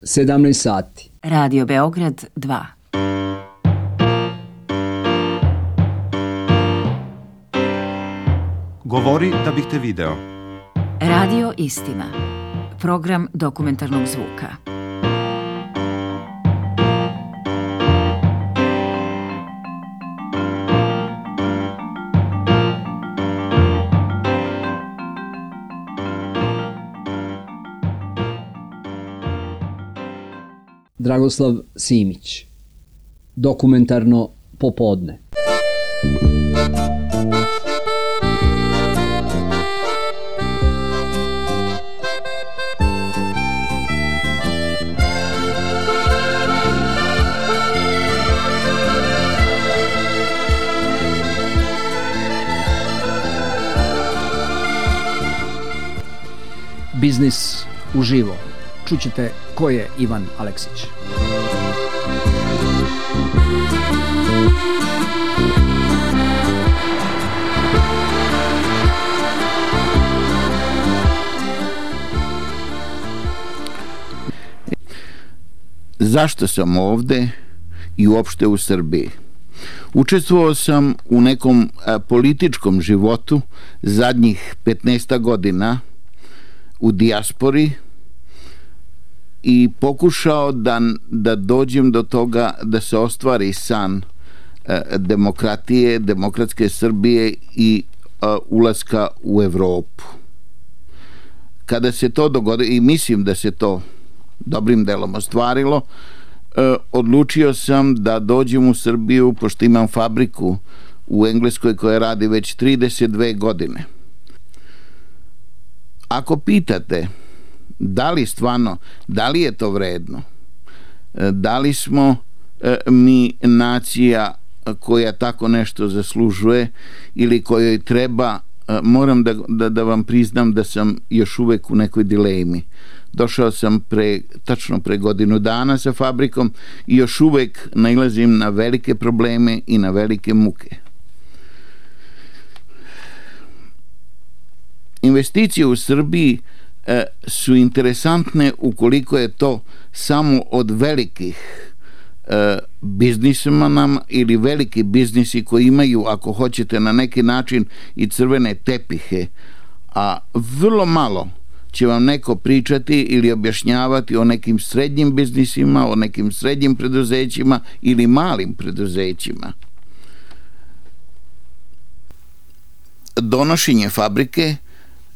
17 sati. Radio Beograd 2. Govori da bih te video. Radio Istina. Program dokumentarnog zvuka. Dragoslav Simić. Dokumentarno popodne. Biznis uživo. Čućete ko je Ivan Aleksić. Zašto sam ovde i uopšte u Srbiji? Učestvovao sam u nekom političkom životu zadnjih 15 godina u dijaspori i pokušao da dođem do toga da se ostvari san demokratije, demokratske Srbije i ulaska u Evropu. Kada se to dogodilo, i mislim da se to dobrim delom ostvarilo, odlučio sam da dođem u Srbiju, pošto imam fabriku u Engleskoj koja radi već 32 godine. Ako pitate da li je to vredno, da li smo mi nacija koja tako nešto zaslužuje ili kojoj treba, moram da vam priznam da sam još uvek u nekoj dilemi. Došao sam tačno pre godinu dana sa fabrikom i još uvek nailazim na velike probleme i na velike muke. Investicije u Srbiji su interesantne ukoliko je to samo od velikih biznismana ili veliki biznisi koji imaju, ako hoćete, na neki način i crvene tepihe, a vrlo malo će vam neko pričati ili objašnjavati o nekim srednjim biznisima, o nekim srednjim preduzećima ili malim preduzećima. Donošenje fabrike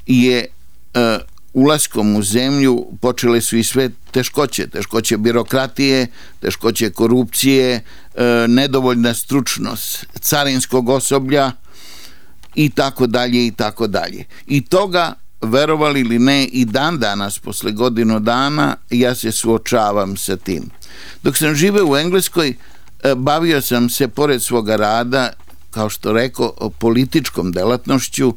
je ulaskom u zemlju počele su i sve teškoće birokratije, teškoće korupcije, nedovoljna stručnost carinskog osoblja i tako dalje i tako dalje. I toga, verovali ili ne, i dan danas posle godinu dana ja se suočavam sa tim. Dok sam živeo u Engleskoj, bavio sam se pored svoga rada, kao što rekao, političkom delatnošću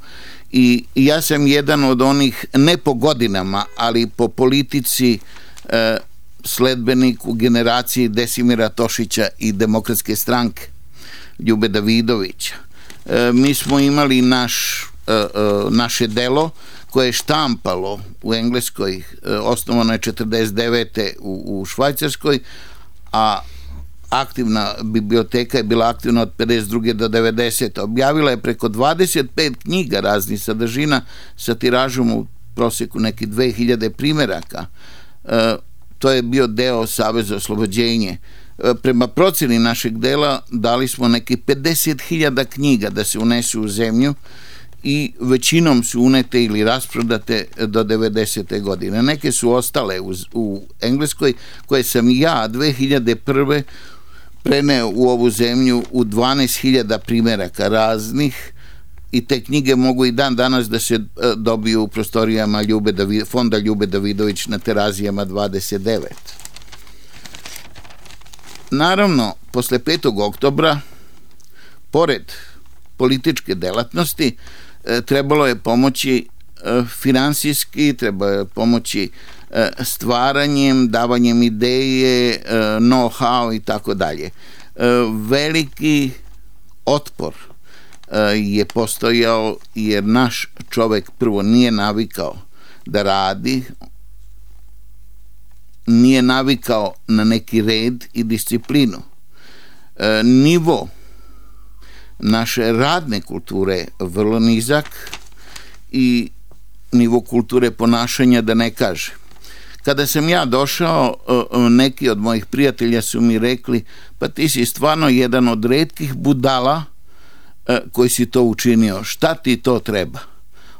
i ja sam jedan od onih, ne po godinama, ali po politici, sledbenik u generaciji Desimira Tošića i Demokratske stranke Ljube Davidovića. Mi smo imali naše delo koje je štampalo u Engleskoj, osnovano je 49. u Švajcarskoj, a aktivna biblioteka je bila aktivna od 52. do 90. Objavila je preko 25 knjiga raznih sadržina sa tiražom u proseku neki 2000 primeraka. To je bio deo Saveza oslobođenje. Prema proceni našeg dela dali smo neki 50.000 knjiga da se unesu u zemlju i većinom su unete ili rasprodate do 90. godine. Neke su ostale u Engleskoj, koje sam ja 2001. preneo u ovu zemlju u 12.000 primeraka raznih i te knjige mogu i dan danas da se dobiju u prostorijama fonda Ljube Davidović na Terazijama 29. Naravno, posle 5. oktobra, pored političke delatnosti, trebalo je pomoći finansijski, trebalo je pomoći stvaranjem, davanjem ideje, know-how i tako dalje. Veliki otpor je postojao jer naš čovek prvo nije navikao da radi, nije navikao na neki red i disciplinu. Nivo naše radne kulture vrlo nizak i nivo kulture ponašanja da ne kaže. Kada sam ja došao, neki od mojih prijatelja su mi rekli, pa ti si stvarno jedan od retkih budala koji si to učinio. Šta ti to treba?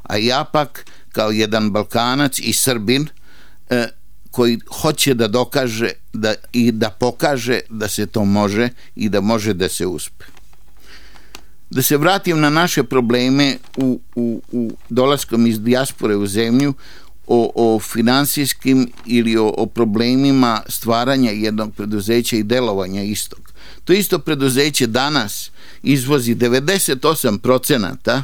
A ja pak, kao jedan Balkanac i Srbin, koji hoće da dokaže i da pokaže da se to može i da može da se uspe. Da se vratim na naše probleme u dolaskom iz dijaspore u zemlju, o finansijskim ili o problemima stvaranja jednog preduzeća i delovanja istog. To isto preduzeće danas izvozi 98%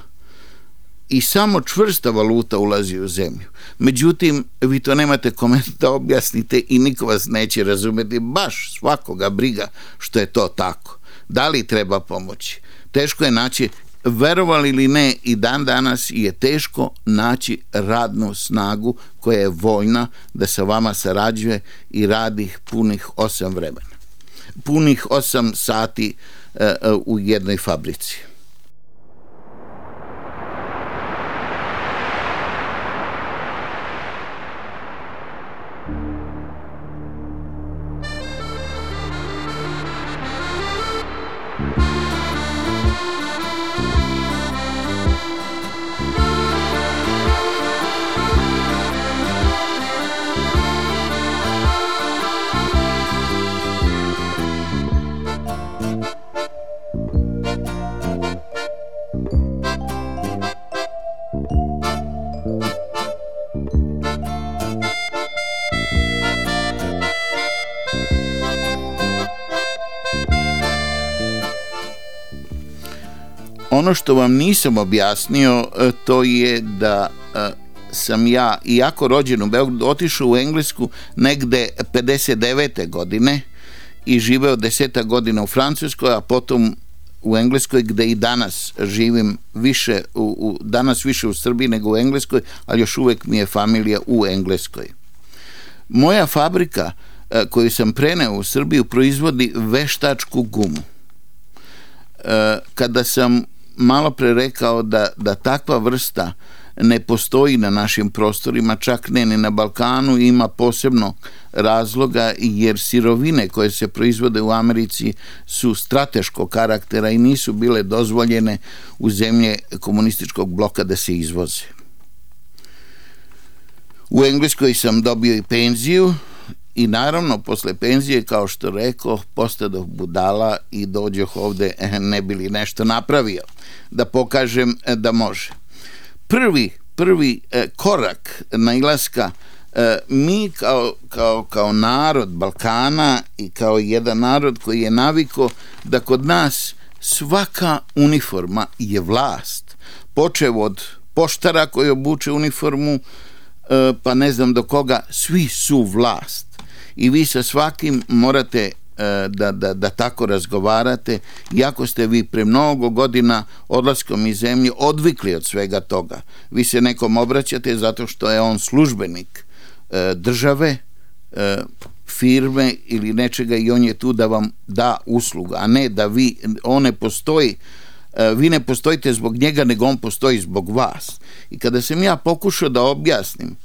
i samo čvrsta valuta ulazi u zemlju. Međutim, vi to nemate kome da objasnite i niko vas neće razumjeti. Baš svakoga briga što je to tako. Da li treba pomoći? Teško je naći, verovali ili ne, i dan danas je teško naći radnu snagu koja je voljna da sa vama sarađuje i radi punih 8 sati u jednoj fabrici. Ono što vam nisam objasnio, to je da sam ja, iako rođen u Beogradu, otišao u Englesku negde 59. godine i živeo 10 godina u Francuskoj, a potom u Engleskoj, gde i danas živim više, danas više u Srbiji nego u Engleskoj, ali još uvek mi je familija u Engleskoj. Moja fabrika koju sam preneo u Srbiju proizvodi veštačku gumu. Kada sam malo pre rekao da takva vrsta ne postoji na našim prostorima, čak ne ni na Balkanu, ima posebno razloga jer sirovine koje se proizvode u Americi su strateškog karaktera i nisu bile dozvoljene u zemlje komunističkog bloka da se izvoze. U Engleskoj sam dobio i penziju i naravno posle penzije, kao što rekao, postadoh budala i dođoh ovde ne bi li nešto napravio da pokažem da može. Prvi korak nailaska, mi kao narod Balkana i kao jedan narod koji je naviko da kod nas svaka uniforma je vlast, počev od poštara koji obuče uniformu pa ne znam do koga, svi su vlast i vi sa svakim morate da tako razgovarate, iako ste vi pre mnogo godina odlaskom iz zemlje odvikli od svega toga. Vi se nekom obraćate zato što je on službenik države, firme ili nečega i on je tu da vam da uslugu, a ne da vi ne postojite zbog njega, nego on postoji zbog vas. I kada sam ja pokušao da objasnim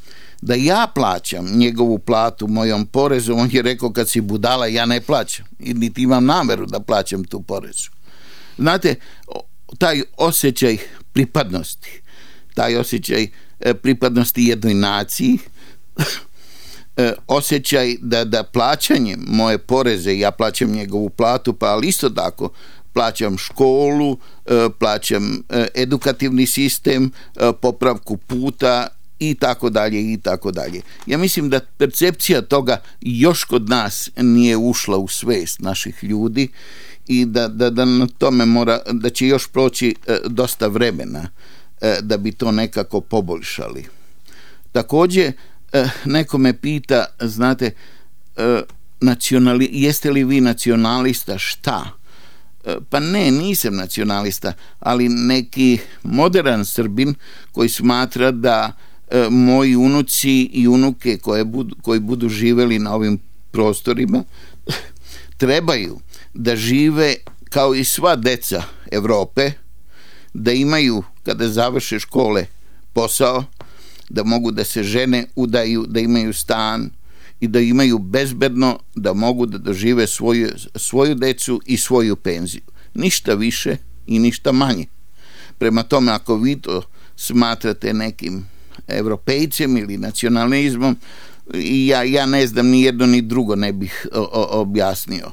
da ja plaćam njegovu platu mojom porezom, on je rekao, kad si budala, ja ne plaćam i niti imam nameru da plaćam tu porezu. Znate, taj osjećaj pripadnosti jednoj naciji, osjećaj da plaćanjem moje poreze, ja plaćam njegovu platu, pa ali isto tako plaćam školu, plaćam edukativni sistem, popravku puta i tako dalje i tako dalje. Ja mislim da percepcija toga još kod nas nije ušla u svest naših ljudi i da na tome da će još proći dosta vremena da bi to nekako poboljšali. Također, neko me pita, znate, jeste li vi nacionalista? Šta? Pa ne, nisam nacionalista, ali neki modern Srbin koji smatra da moji unuci i unuke koji budu živeli na ovim prostorima trebaju da žive kao i sva deca Evrope, da imaju kada završe škole posao, da mogu da se žene, udaju, da imaju stan i da imaju bezbedno, da mogu da dožive svoju decu i svoju penziju. Ništa više i ništa manje. Prema tome, ako vi to smatrate nekim evropejcem ili nacionalizmom, ja ne znam, ni jedno ni drugo ne bih objasnio.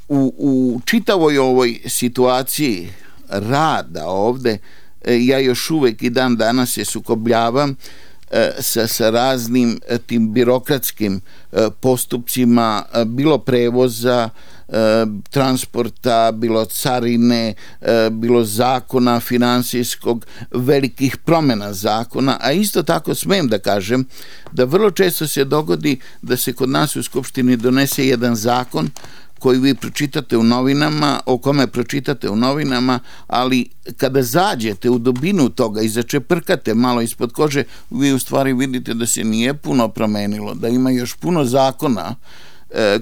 U čitavoj ovoj situaciji rada ovde, ja još uvek i dan danas se sukobljavam sa raznim tim birokratskim postupcima, bilo prevoza, transporta, bilo carine, bilo zakona finansijskog, velikih promjena zakona, a isto tako smem da kažem da vrlo često se dogodi da se kod nas u Skupštini donese jedan zakon koji vi pročitate u novinama, o kome pročitate u novinama, ali kada zađete u dubinu toga i začeprkate malo ispod kože, vi u stvari vidite da se nije puno promenilo, da ima još puno zakona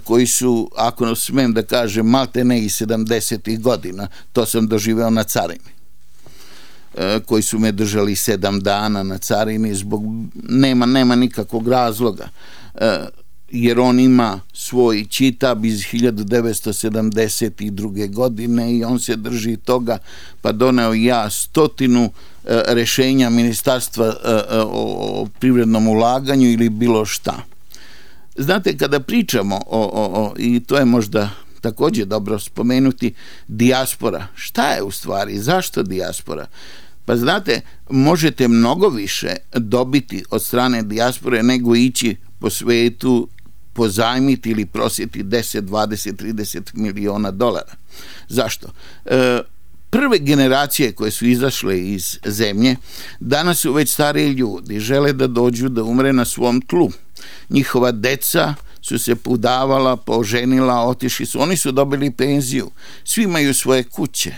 koji su, ako smem da kažem, maltene i 70. godina. To sam doživeo na carini, koji su me držali 7 dana na carini zbog nema nikakvog razloga, jer on ima svoj čitab iz 1972. godine i on se drži toga, pa doneo ja 100 rešenja Ministarstva o privrednom ulaganju ili bilo šta. Znate, kada pričamo i to je možda također dobro spomenuti, dijaspora. Šta je u stvari? Zašto dijaspora? Pa znate, možete mnogo više dobiti od strane dijaspore nego ići po svetu, pozajmiti ili prosjeti 10, 20, 30 miliona dolara. Zašto? Prve generacije koje su izašle iz zemlje, danas su već stariji ljudi, žele da dođu da umre na svom tlu. Njihova deca su se udavala, poženila, otišli su, oni su dobili penziju, svi imaju svoje kuće,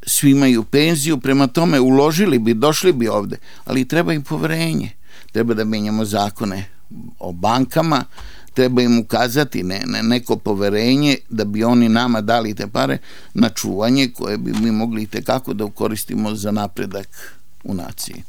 svi imaju penziju, prema tome uložili bi, došli bi ovde, ali treba im poverenje, treba da menjamo zakone o bankama, treba im ukazati neko poverenje da bi oni nama dali te pare na čuvanje koje bi mi mogli itekako da koristimo za napredak u naciji.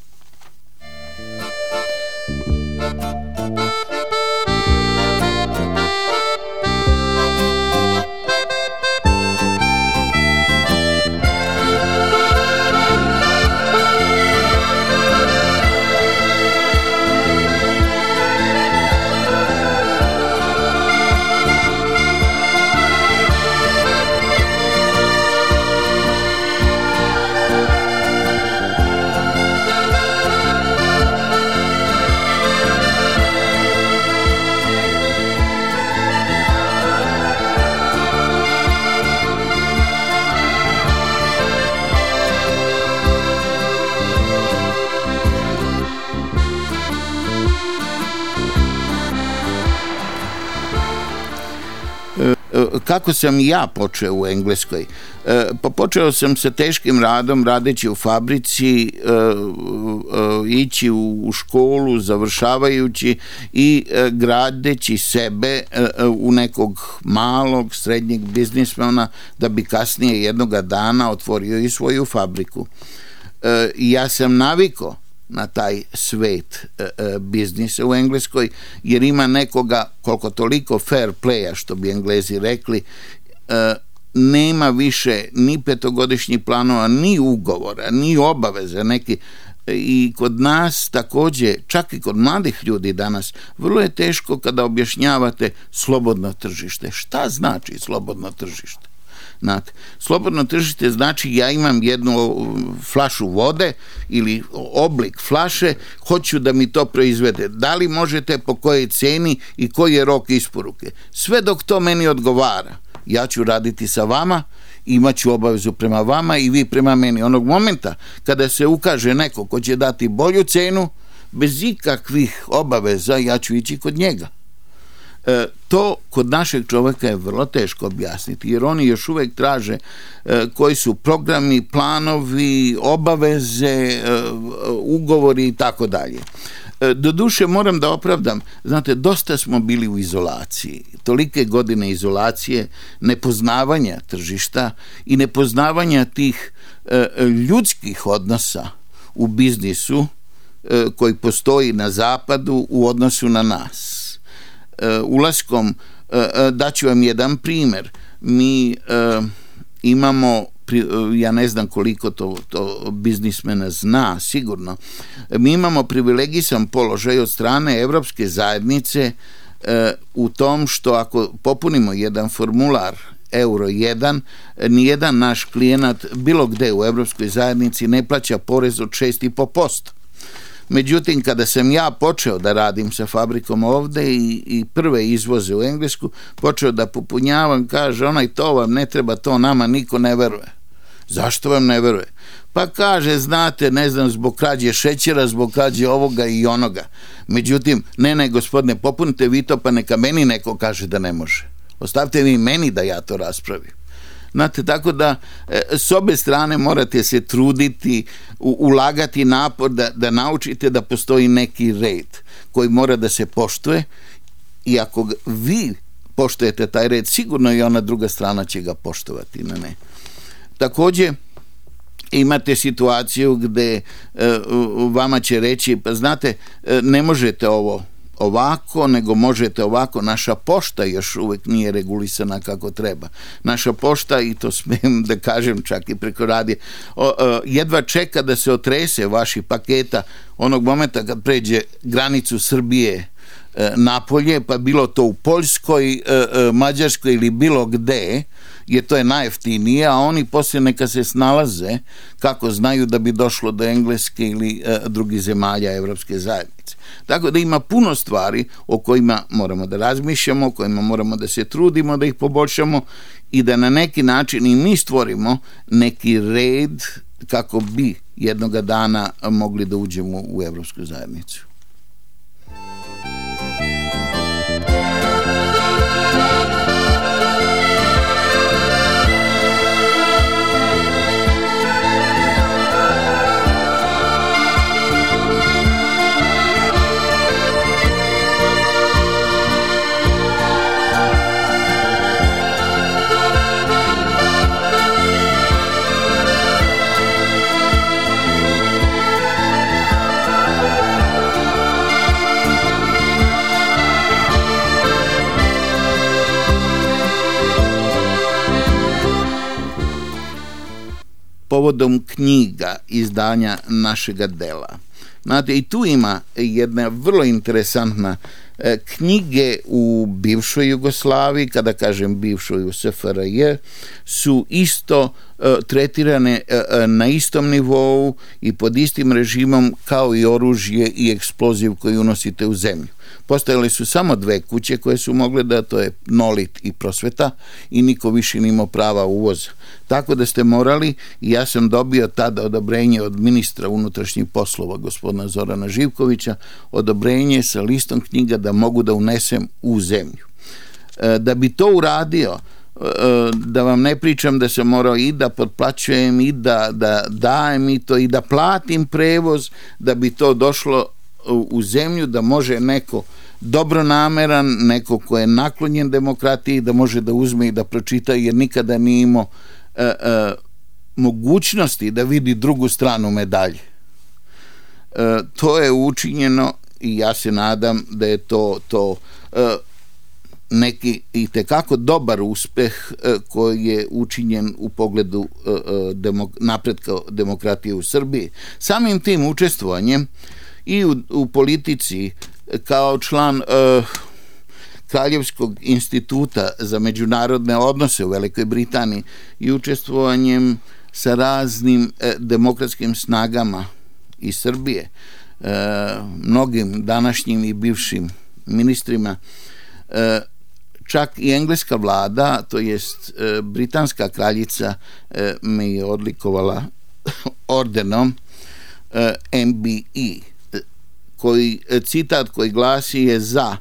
Kako sam ja počeo u Engleskoj? Pa počeo sam sa teškim radom, radeći u fabrici, ići u školu, završavajući i gradeći sebe u nekog malog, srednjeg biznismena, da bi kasnije jednoga dana otvorio i svoju fabriku. Ja sam navikao na taj svet biznisa u Engleskoj, jer ima nekoga koliko toliko fair playa, što bi Englezi rekli, nema više ni 5-godišnjih planova, ni ugovora, ni obaveza neki. I kod nas također, čak i kod mladih ljudi danas, vrlo je teško kada objašnjavate slobodno tržište. Šta znači slobodno tržište? Znate, slobodno tržište znači ja imam jednu flašu vode ili oblik flaše, hoću da mi to proizvede. Da li možete, po kojoj ceni i koji je rok isporuke? Sve dok to meni odgovara, ja ću raditi sa vama, imat ću obavezu prema vama i vi prema meni. Onog momenta kada se ukaže neko ko će dati bolju cenu, bez ikakvih obaveza, ja ću ići kod njega. To kod našeg čovjeka je vrlo teško objasniti, jer oni još uvijek traže koji su programi, planovi, obaveze, ugovori i tako dalje. Doduše moram da opravdam, znate, dosta smo bili u izolaciji, tolike godine izolacije, nepoznavanja tržišta i nepoznavanja tih ljudskih odnosa u biznisu koji postoji na zapadu u odnosu na nas. Ulaskom, daću vam jedan primjer, mi imamo, ja ne znam koliko to biznismena zna, sigurno, mi imamo privilegisan položaj od strane Evropske zajednice u tom što ako popunimo jedan formular Euro 1, nijedan naš klijenat bilo gde u Evropskoj zajednici ne plaća porez od 6,5%. Međutim, kada sam ja počeo da radim sa fabrikom ovde i prve izvoze u Englesku, počeo da popunjavam, kaže, to vam ne treba, to nama niko ne veruje. Zašto vam ne veruje? Pa kaže, znate, ne znam, zbog krađe šećera, zbog krađe ovoga i onoga. Međutim, ne, gospodine, popunite vi to, pa neka meni neko kaže da ne može. Ostavite vi meni da ja to raspravim. Znate, tako da s obe strane morate se truditi, ulagati napor da naučite da postoji neki red koji mora da se poštuje i ako vi poštujete taj red, sigurno i ona druga strana će ga poštovati. Ne. Također, imate situaciju gde vama će reći, pa znate, ne možete ovo ovako, nego možete ovako. Naša pošta još uvijek nije regulisana kako treba. Naša pošta, i to smijem da kažem čak i preko radija, jedva čeka da se otrese vaši paketa onog momenta kad pređe granicu Srbije napolje, pa bilo to u Poljskoj, Mađarskoj ili bilo gde, jer to je najjeftinije, a oni poslije neka se snalaze kako znaju da bi došlo do Engleske ili drugih zemalja Evropske zajednice. Tako da ima puno stvari o kojima moramo da razmišljamo, o kojima moramo da se trudimo, da ih poboljšamo i da na neki način i mi stvorimo neki red kako bi jednoga dana mogli da uđemo u Evropsku zajednicu. Povodom knjiga, izdanja našega dela. Znate, i tu ima jedna vrlo interesantna knjige u bivšoj Jugoslaviji, kada kažem bivšoj u SFRJ, su isto tretirane na istom nivou i pod istim režimom kao i oružje i eksploziv koji unosite u zemlju. Postojale su samo dve kuće koje su mogle da, to je Nolit i Prosveta, i niko više nije imao prava uvoza. Tako da ste morali, i ja sam dobio tada odobrenje od ministra unutrašnjih poslova, gospodina Zorana Živkovića, odobrenje sa listom knjiga da mogu da unesem u zemlju. Da bi to uradio, da vam ne pričam da sam morao i da potplaćujem i da dajem i to i da platim prevoz da bi to došlo u zemlju, da može neko dobronameran, neko ko je naklonjen demokratiji, da može da uzme i da pročita, jer nikada nije imao mogućnosti da vidi drugu stranu medalje. To je učinjeno i ja se nadam da je to neki itekako dobar uspeh koji je učinjen u pogledu napretka demokratije u Srbiji. Samim tim učestvovanjem i u politici kao član Kraljevskog instituta za međunarodne odnose u Velikoj Britaniji i učestvovanjem sa raznim demokratskim snagama iz Srbije, mnogim današnjim i bivšim ministrima, čak i engleska vlada, to jest britanska kraljica, me je odlikovala ordenom MBE, citat koji glasi je za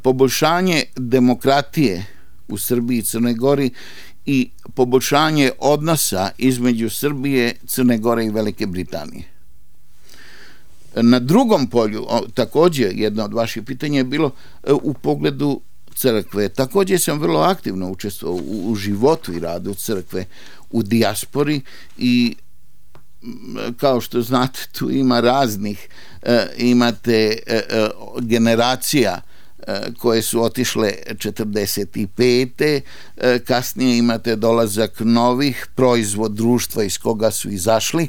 poboljšanje demokratije u Srbiji i Crnoj Gori i poboljšanje odnosa između Srbije, Crne Gore i Velike Britanije. Na drugom polju, također jedno od vaših pitanja je bilo u pogledu crkve. Također sam vrlo aktivno učestvovao u životu i radu crkve u dijaspori i kao što znate tu ima raznih, imate generacija koje su otišle 45. Kasnije imate dolazak novih, proizvod društva iz koga su izašli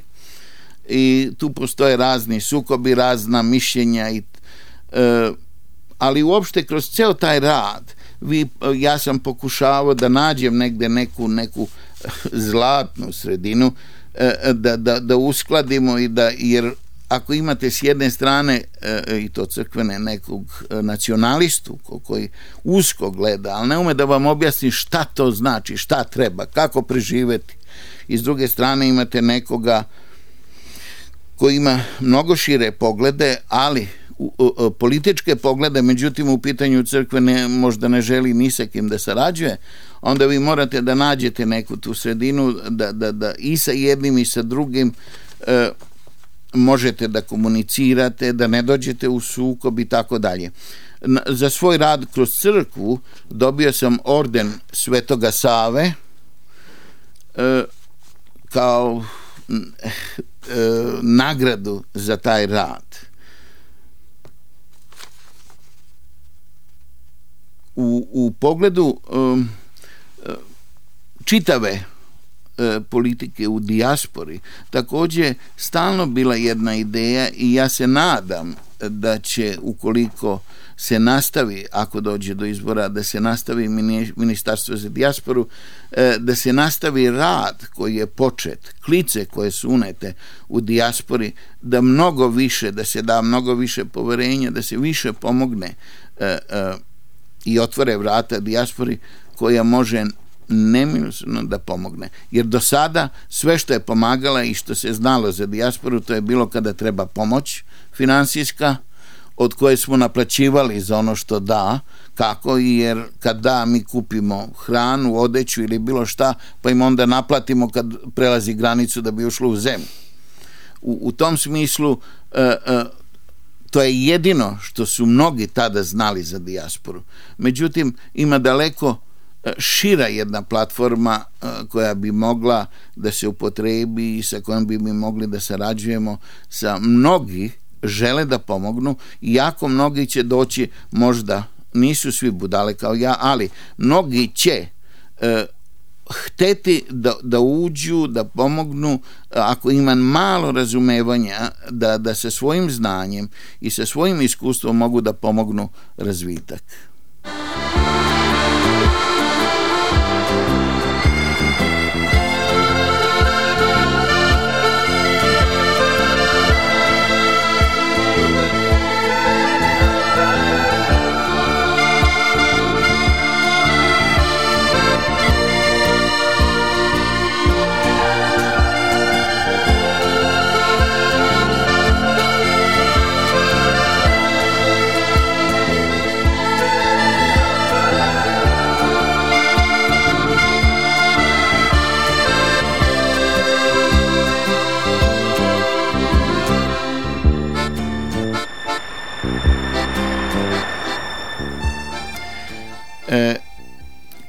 i tu postoje razni sukobi, razna mišljenja ali uopšte kroz ceo taj rad ja sam pokušavao da nađem negde neku zlatnu sredinu, da uskladimo jer ako imate s jedne strane i to crkvene nekog nacionalistu koji usko gleda, ali ne ume da vam objasni šta to znači, šta treba, kako preživeti, i s druge strane imate nekoga koji ima mnogo šire poglede, ali političke poglede, međutim u pitanju crkve možda ne želi ni sa kim da sarađuje, onda vi morate da nađete neku tu sredinu da i sa jednim i sa drugim možete da komunicirate, da ne dođete u sukob i tako dalje. Za svoj rad kroz crkvu dobio sam orden Svetoga Save kao nagradu za taj rad. U pogledu čitave politike u dijaspori također stalno bila jedna ideja i ja se nadam da će, ukoliko se nastavi, ako dođe do izbora, da se nastavi Ministarstvo za dijasporu, da se nastavi rad koji je počet, klice koje su unete u dijaspori, da mnogo više, da se da mnogo više poverenja, da se više pomogne i otvore vrata dijaspori koja može neminovno da pomogne. Jer do sada sve što je pomagala i što se znalo za dijasporu, to je bilo kada treba pomoć finansijska, od koje smo naplaćivali za ono što da, kako, jer kad da mi kupimo hranu, odeću ili bilo šta, pa im onda naplatimo kad prelazi granicu da bi ušlo u zemlju. U tom smislu to je jedino što su mnogi tada znali za dijasporu. Međutim, ima daleko šira jedna platforma koja bi mogla da se upotrebi i sa kojom bi mi mogli da sarađujemo sa mnogi žele da pomognu, i jako mnogi će doći, možda nisu svi budale kao ja, ali mnogi će hteti da uđu, da pomognu, ako ima malo razumevanja, da sa svojim znanjem i sa svojim iskustvom mogu da pomognu razvitak.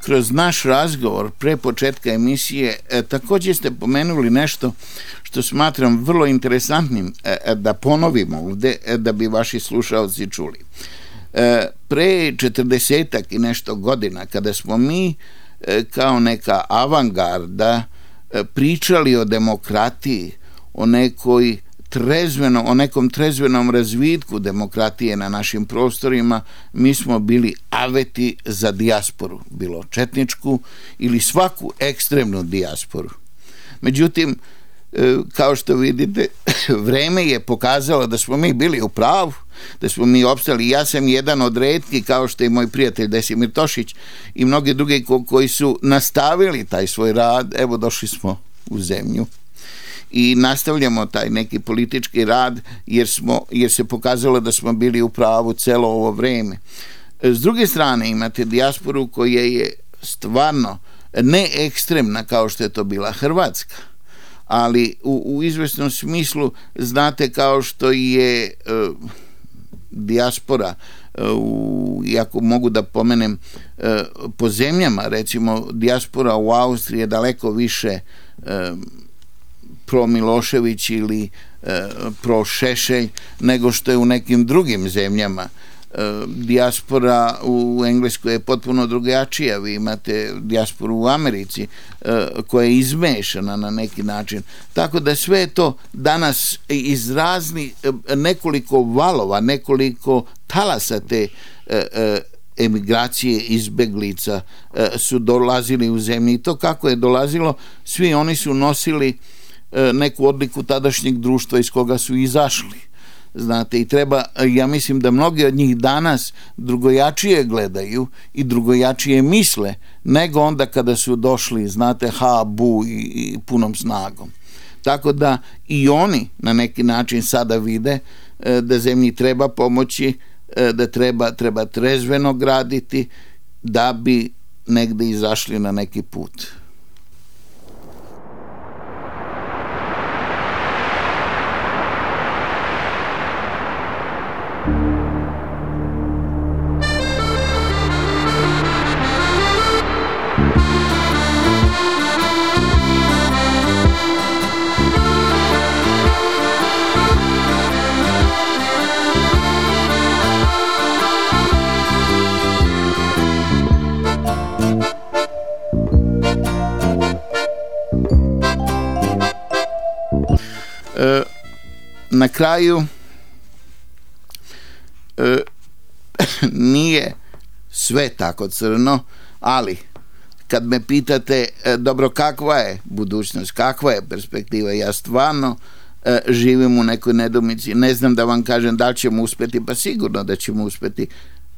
Kroz naš razgovor pre početka emisije također ste pomenuli nešto što smatram vrlo interesantnim da ponovimo ovde, da bi vaši slušaoci čuli. Pre 40-ak i nešto godina, kada smo mi kao neka avangarda pričali o demokratiji, o nekom trezvenom razvitku demokratije na našim prostorima, mi smo bili aveti za dijasporu, bilo četničku ili svaku ekstremnu dijasporu. Međutim, kao što vidite, vreme je pokazalo da smo mi bili u pravu, da smo mi opstali. Ja sam jedan od retkih, kao što je moj prijatelj Desimir Tošić i mnogi drugi koji su nastavili taj svoj rad. Evo, došli smo u zemlju i nastavljamo taj neki politički rad jer se pokazalo da smo bili u pravu celo ovo vreme. S druge strane imate dijasporu koja je stvarno ne ekstremna kao što je to bila Hrvatska, ali u izvesnom smislu, znate, kao što je dijaspora, iako mogu da pomenem po zemljama, recimo dijaspora u Austriji je daleko više pro Milošević ili pro Šešelj nego što je u nekim drugim zemljama. Dijaspora u Engleskoj je potpuno drugačija. Vi imate dijasporu u Americi koja je izmešana na neki način. Tako da sve to danas iz raznih nekoliko valova, nekoliko talasa te emigracije, izbeglica su dolazili u zemlji. I to kako je dolazilo, svi oni su nosili neku odliku tadašnjeg društva iz koga su izašli. Znate, i treba, ja mislim da mnogi od njih danas drugojačije gledaju i drugojačije misle nego onda kada su došli, znate, bu i punom snagom. Tako da i oni na neki način sada vide da zemlji treba pomoći, da treba trezveno graditi da bi negde izašli na neki put. Na kraju nije sve tako crno, ali kad me pitate dobro, kakva je budućnost, kakva je perspektiva, ja stvarno živim u nekoj nedoumici, ne znam da vam kažem da li ćemo uspeti, pa sigurno da ćemo uspeti,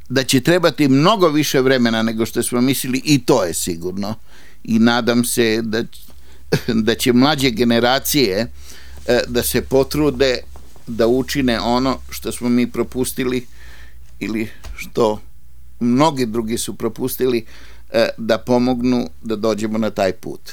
da će trebati mnogo više vremena nego što smo mislili, i to je sigurno, i nadam se da će mlađe generacije da se potrude da učine ono što smo mi propustili ili što mnogi drugi su propustili, da pomognu da dođemo na taj put.